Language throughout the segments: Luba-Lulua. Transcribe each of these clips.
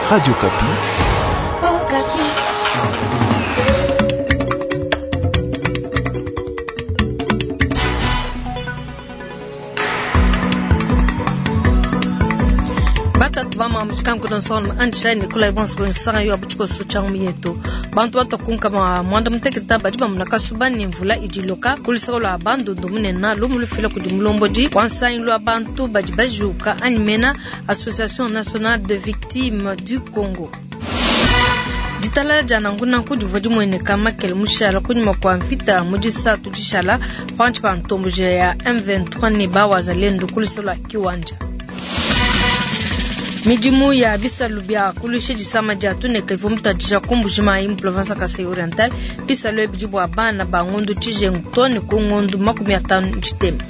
Radio Okapi. Okapi. Batatu bama mushikankuta nsonga andisha nikolai bonso bonsanga yo abuchiko sucha yetu bantu batakunka ma mwanda muteketa badi bamuna kasuba ni mvula idiloka kulisaka lwa bandundu munene lumu lufila kudi mulombodi wansangi lwa bantu badi bajuka animena Association nationale de victimes du Congo. Ditalala dia nankunanku divua dimueneka makele mushala kunyima kua mvita mu disatu dishala pantshi pa ntomboji ya M23 ne bawazalendo kuluseke lua Kiwanja. Midimu ya bisalu bia kulusha disama dia tuneka ivua mutadisha ku Mbuji-Mayi mu province ya Kasai Oriental. Bisalu ebi bidi bua bana ba ngondu tshijengu too ne ku ngondu 50 tshitema.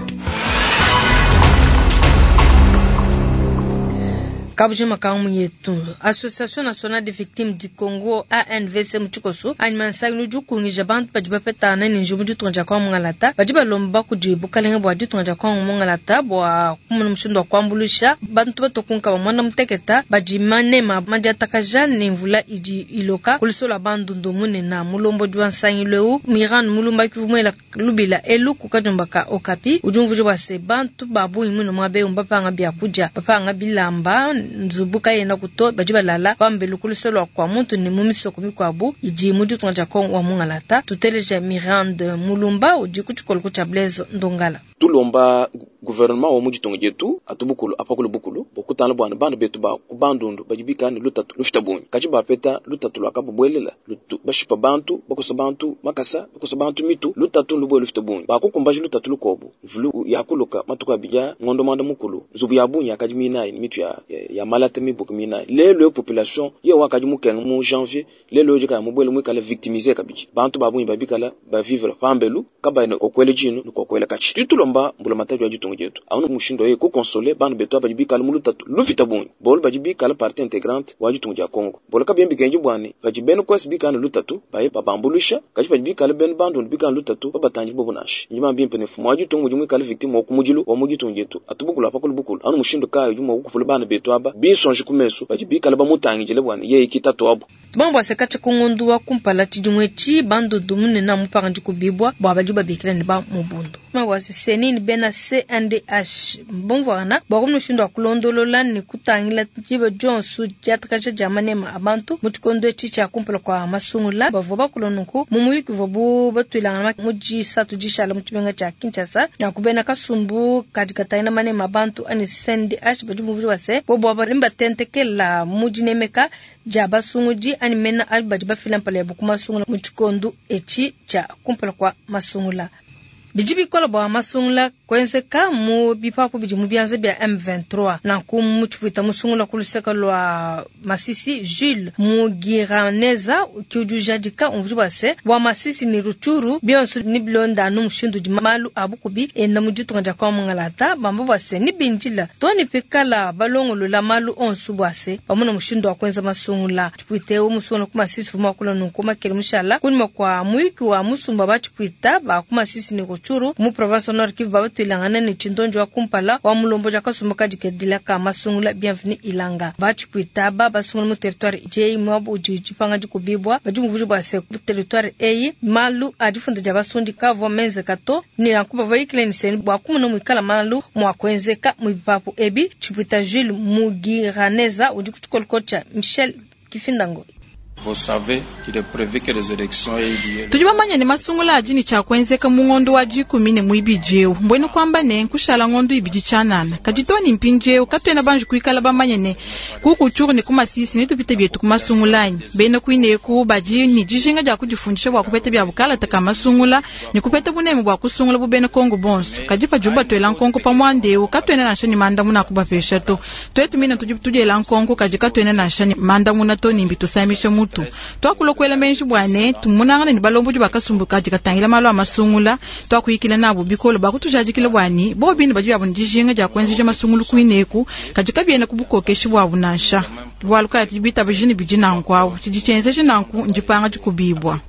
Kabujima kangu yetu Association Nationale des Victimes du Congo ANVC mu tshikoso anyima nsangilu udi ukungija bantu badi bapetana ne njiwu mu ditunga dia Kongo Mungalata badi balomba kudi bukalenge bua ditunga dia Kongo Mungalata bua kumona mushindu wa kuambuluisha bantu batokunka ba muanda muteketa badi manema madiatakaja ne mvula idi iloka ku luseke lua bandundu munene. Mulombodi wa nsangilu eu Miran Mulumba kivumuela lubila elu ku kadiomba ka Okapi udi umvuija bua se bantu ba bungi muine muaba eu mbapanga biakudia bapanga bilamba nzubu kayena kuto badi balala pambelu ku luseke lua kua muntu ne mu misoko mikuabu idi mu ditunga dia Kongo wa Mungalata. Tuteleja Mirande Mulumba udi ku tshikoloko tshia Blaise Ndongala. Tulomba gouvernement wa mu ditunga dietu atubukulu apakulu bukulu bokutana bwana bana betu ba ku bandundu badi bikala ne lutatu lufita bungi kaci bapeta lutatu lua kabubuelela lutu bashipa bantu bakosa bantu makasa bakosa bantu mitu lutatu lubuele lufita bungi bakukumbaja lutatu lukobu mvulu yakuluka matuku abidi ngondo mwanda mukulu nzubu ya bungi yakadi minayi mitu ya, ya, ya malata mibuku minayi lelo yo population ye wakadi mukenga mu janvier lelo yo jikaya mubuele muikala victimiser kabidi bantu ba bungi babikala bavivre pambelu kabayi kokwele jinu nikokwele kaci tutulomba mbula matatu ya ditunga dietu aunu mushindu oye kukonsole bana betu badi bikala mu lutatu lufita bungi bolu badi bikala partie intégrante wa ditunga dia Congo bolu kabiembi kenji bwani badi benu kwesi bikala ne lutatu baye babambuluisha kaci badi bikala benu bandundu bikala lutatu babatanji bobo nashi ndima bimpe ne mfumu wa ditunga udi muikala victime wa kumudilu wa mu ditunga dietu atubukulu apakulu bukulu anu mushindu kayi udi mua kukupula bana betu aba binsonji ku mesu badi bikala bamutangidile bwani yeye kitatu abo. Tubambo asekacha kungondu wa kumpala tshidimu etshi bandundu munene mupanga dikubibwa bua badi babikila ne ba mubundu mawasi senini bena CNDH mbomvwana bua kumushindu wa kulondolola ne kutangila diba dionso diatakaja dia manema a bantu mu tshikondo etshi tshia kumpala kua masungula bavua bakula nunku mu muyuki uvuabu batuilangana mu disatu dishala mu tshimenga tshia Kinshasa na kubena kasumbu kadi katangila manema a bantu ani CNDH badi bumvuija bua se bobo aba mbatentekela mu dinemeka dia basungudi ani mena abi badi bafila mpala yabu ku masungula mu tshikondo etshi tshia kumpala kua masungula. Bidi bikola bua masungula kuenzeka mu bipapu bidi mu bianza bia M23 nanku mu tshipwita musungula ku luseke lua Masisi Jules Mugiraneza ki udi ujadika umvuija bua se bua Masisi ne Rutshuru bionso ni bilonda anu mushindu udi malu a bukubi enda mu ditunga dia Kongo Mungalata bamba bua se ni bindila to ni pikala balongolola malu onso bua se pamona mushindu wa kuenza masungula. Tshipwita eu musungula ku Masisi fuma kula nunku makele mushala kunyima kua muyuki wa musumba ba tshipwita ba ku Masisi ne Rutshuru mu province Nord Kivu babatuilangana ne tshindonjo wa kumpala wa mulombo ja kasumbu kadikedila ka masungula Bienvenue Ilanga batshipwita ba basungula mu territoire J mwabu udi tshipanga dikubibwa badi muvuji bua se ku territoire eyi malu a difunda dia basundi kavua menzeka to ni nanku bavua yikile ni seni bua kumona muikala malu mua kuenzeka mu bipapu ebi. Tshipwita Jules Mugiraneza udi ku tshikoloko tshia Michel Kifindango. Vous savez qu'il est prévu que les élections aient lieu. Tudi bamanye ne masungula adi ne tshia kuenzeka mu ngondo wa dikumi ne muibidi eu mbwenu kuamba ne nkushala ngondo ibidi tshianana kadi to ne mpindiewu katuena banji kuikala bamanye ne ku Rutshuru ne ku Masisi ne tupite bietu ku masungula anyi bena kuineku badi ne dijinga dia kudifundisha bua kupeta bia bukalata ka masungula ne kupeta buneme bua kusungula bu bena Kongo bonso kadi padibu batuela nkonko pa muanda eu katuena nansha ne mandamuna akubapesha to tuetu mine tudi tudiela nkonko kadi katuena nansha ne mandamuna to ne mbitusamisha mutu twakulokwela menji bwane tumunangana ne balombodi bakasumbu kadi katangila malu a masungula twakuyikila nabo bikolo bakutujadikila bwani bo bine badi byabo dijinga dia kuenzesha masungulu kuineku kadi kabiena ku bukokeshi bwabo nansha. Bualu kayi tudi bitabiji ne bidi nanku awu. Tshidi tshienzeja nanku ndipanga dikubibua.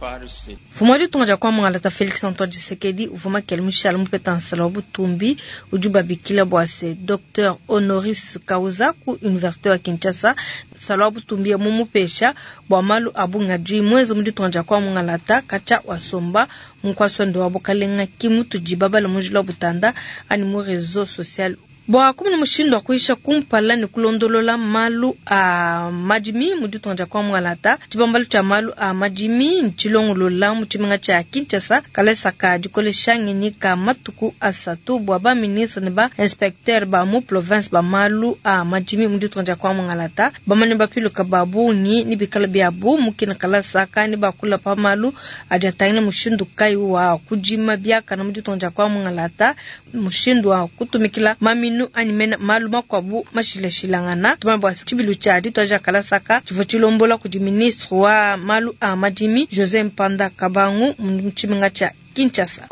Mfumu wa ditunga dia kwa Mungalata Felix Antoine Tshisekedi uvua makele mushale mupeta nsala wa butumbi udi babikila bua se Dr Honoris Causa ku Université wa Kinshasa. Nsala wa butumbi ya mumupesha bua malu a bungi adi muenze mu ditunga dia kwa Mungalata katshia wasomba mu nkuasa wa bukalenga ki mutudi babala mu njila wa butanda ani mu réseau social. Bua kumona mushindu wa kuyisha kumpala ne kulondolola malu a madimi mu ditunga dia kwa Mungalata, tshibambalu tshia malu a madimi ntshilongolola mu tshimenga tshia Kinshasa kalasa ka dikolesha ngenyi ka matuku asatu bua ba ministre ne ba inspecteur ba mu province ba malu a madimi mu ditunga dia kwa Mungalata bamane bapiluka ba bungi ne bikala biabu mu kina kalasa ka ne bakula pa malu adi atangila mushindu kayi wa kudima biakana mu ditunga dia kwa Mungalata, mushindu wa kutumikila maminu anyi mena malu makuabu mashilashilangana. Tumanye bua tshibilu tshia dituadija kalasaka tshivua tshilombola kudi ministre wa malu a madimi José Mpanda Kabangu mu tshimenga tshia Kinshasa.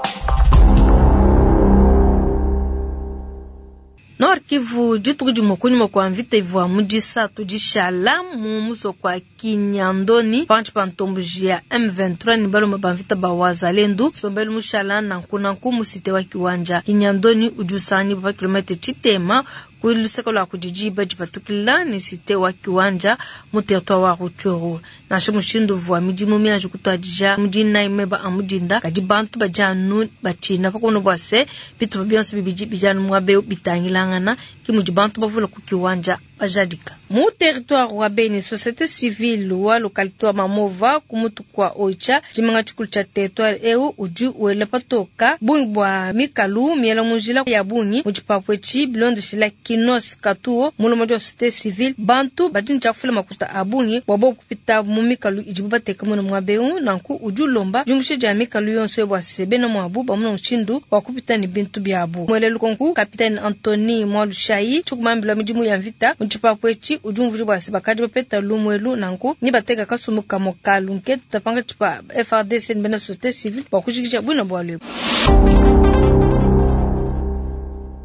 Nord Kivu dituku dimue kunyima kua mvita ivua mu disatu dishala mu musoko wa Kinyandoni pantshi pa ntomboji ya M23 ne balume ba mvita ba Wazalendo sombelu mushala nanku nanku mu cité wa Kiwanja. Kinyandoni udi usanganyibwa pa kilomètre tshitema ku luseke lua kudi diba dipatukila ne cité wa Kiwanja mu territoire wa Rutshuru. Nansha mushindu uvua midimu mianji kutuadija mu dinayi meba a mudinda, kadi bantu badi anu batshina pakumona bua se bitupa bionso bibidi bidi anu muaba eu bitangilangana ki mudi bantu bavula ku Kiwanja bajadika. Mu territoire wa Beni, société civile wa localité wa Mamova ku mutu kwa Oicha, tshimenga tshikulu tshia territoire eu udi wela patoka bungi bua mikalu miela mu njila ya bungi mu tshipapu etshi bilondeshila Kinos Katuo mulombodi wa société civile. Bantu badi ne tshiakufila makuta a bungi bua bobu kupita mu mikalu idibu bateka muna muaba eu, nanku udi ulomba diumbusha dia mikalu yonso bua se bena muabu bamona mushindu wa kupita ne bintu biabu. Muele lukonku Capitaine Anthony Mwalushayi tshikumambila midimu ya mvita mu tshipapu etshi udi umvuija bua se bakadi bapeta lumuelu nanku ni bateka kasumbu kamue ka lunkete tapanga tshipa FARDC ne bena société civile bua kujikija buina bualu ebu.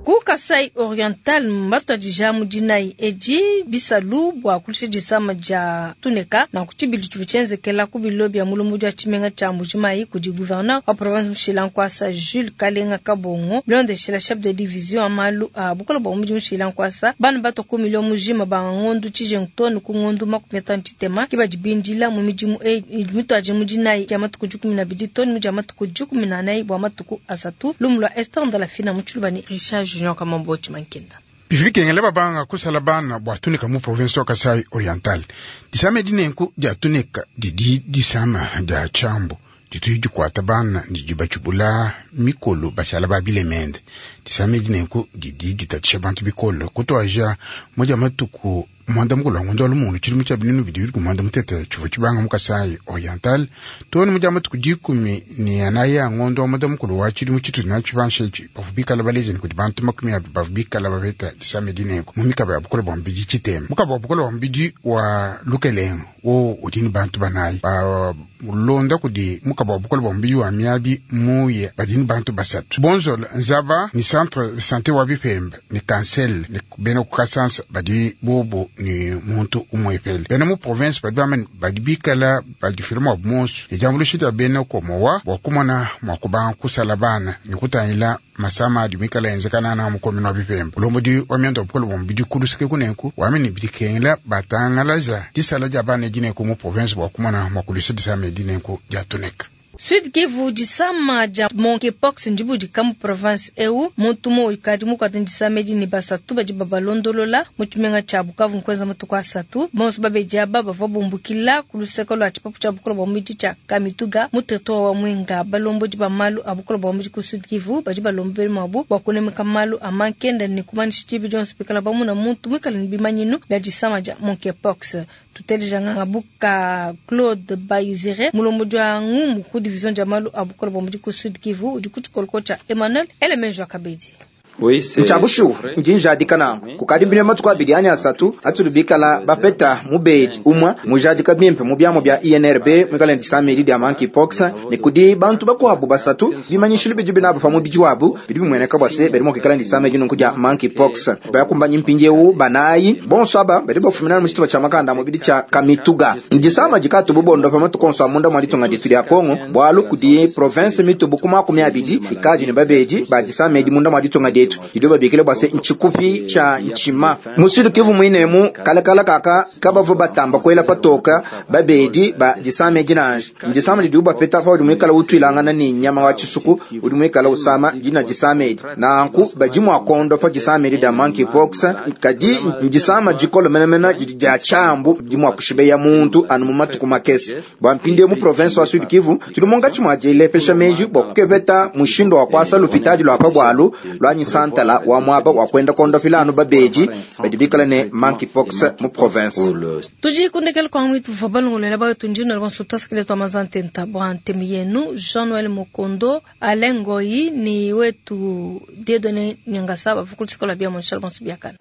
Ku Kasai Oriental mbatuadija mu dinayi edi bisalu bua kulusha disama dia tuneka nanku tshibili tshivua tshienzekela ku bilo bia mulombodi wa tshimenga tshia Mbujimayi kudi gouverneur wa province Mushila Nkwasa Jules Kalenga Kabongo bilondeshela chef de division wa malu a bukole bua mudi Mushila Nkwasa bana batua ku milio mujima ba ngondu tshijengu tonu ku ngondu 50 tshitema ki badi bindila mu midimu eyi idi mituadije mu dinayi dia matuku 12 tonu mu dia matuku 14 bua matuku asatu. Lumu lua Esther Ndalafina mu Tshiluba ne Richard Junior Kamambo Tshimankenda. Bivikengele babanga kusala bana bua tunika mu province wa Kasai Oriental. Disama dinenku dia tunika didi disama dia chambo ditu dikuata bana didi batshibula mikolo bashala ba bilemende. Disama dinenku didi ditatisha bantu bikolo kutuaja moja matuku mwanda mukulu wa ngondo wa lumungu tshilumu tshia binunu bidi ku mwanda mutete tshivua tshibanga mu Kasai Oriental tonu mudia matuku 14 ne anayi a ngondo wa mwanda mukulu wa tshilumu tshitudi natshi pansha etshi bavua bikala balezeni kudi bantu 20 bavua bikala bapeta disama dinenku mu mikaba ya bukole bua mubidi tshitema. Mukaba wa bukole bua mubidi wa Lukelenga wo udi ne bantu banayi balonda kudi mukaba wa bukole bua mubidi wa Miabi Muye badi ne bantu basatu Bonzola Nzaba ni centre de santé wa Bipemba ni Kansel ni bena ku Kasansa badi bobo ni muntu umwepele bena mu province badi bamane badi bikala badifila mwa bumonso ni diambuluisha dia bena komowa bua kumona mua kubanga kusala bana ni kutangila masama adi mikala enzekana na mukomino wa Bipemba. Ulombodi wa miando wa bukole bua mubidi kulusike kunenku wamene bidikengela batangalaza disala dia bana dinenku mu province bua kumona mua kuluisa disama dinenku dia tuneka. Sud Kivu disama dia monkeypox ndibudika mu province eu muntu mo ikadi mukwata disama edi ne basatu badi babalondolola mu tshimenga tshia Bukavu nkuenza matuku asatu. Bonso babedi aba bavua bumbukila ku luseke lua tshipapu tshia bukole bua mubidi tshia Kamituga mu territoire wa Mwenga. Balombodi ba malu a bukole bua mubidi ku Sud Kivu badi balombela muabu bua kunemeka malu a mankenda ne kumanyisha tshibi dionso pikala bamuna muntu muikale ne bimanyinu bia disama dia monkeypox. Tuteleja nganga buka Claude Baizire mulombodi wa ngumu ku division dia malu a bukole bua mubidi ku Sud Kivu udi ku tshikoloko tshia Emmanuel Elemenjo Akabedi. Ntshia bushuwa, ndi njadika nanku. Kukadi mpindieu matuku abidi anyi asatu atudi bikala bapeta mubedi umue mujadika bimpe mu biamu bia INRB muikale ne disama edi dia monkeypox, ne kudi bantu bakuabu basatu bimanyishilu bidi binabu pa mubidi wabu bidi bimueneka bua se badi mua kuikala ne disama edi nunku dia monkeypox. Bakumbanyi mpindieu banayi bonso aba badi bafumina mu tshitupa tshia makanda a mubidi tshia Kamituga. Disama dikatu bubondopa matuku onso a munda mua ditunga dietu dia Kongo, bualu kudi province mitubu ku 20 ikadi ne babedi ba disama edi munda mua ditunga dietu didibo babikila bua se ntshikufi tshia ntshima. Mu Sud Kivu muinemu kalakala kaka kabavua batamba kuela patoka babedi ba disama edi nansha. Ndisama didibu bapeta paudi muikala utuilangana ne nyama wa tshisuku udi muikala usama dina disama edi. Nanku badi mua kuondopa disama edi dia monkeypox, kadi ndisama dikole menemene didi dia tshiambu didi mua kushibeya muntu anu mu matuku makese. Bua mpindieu mu province wa Sud Kivu tudi munkatshi mua dilepesha meji bua kukepeta mushindu wa kuasa lupitadi lua pa bualu lua santala wa muaba wa kuenda kuondopila anu babedi badi bikala ne monkeypox mu province. Tudi kundekela kwa mwitu tuvua balongolola bawetu ndino bonso tuasikile twa mazantenta bua ntemu yenu Jean Noël Mokondo Alain Ngoyi ni wetu Dieudonné Nyangasa bavukulusikola bia monshal bonso biakana.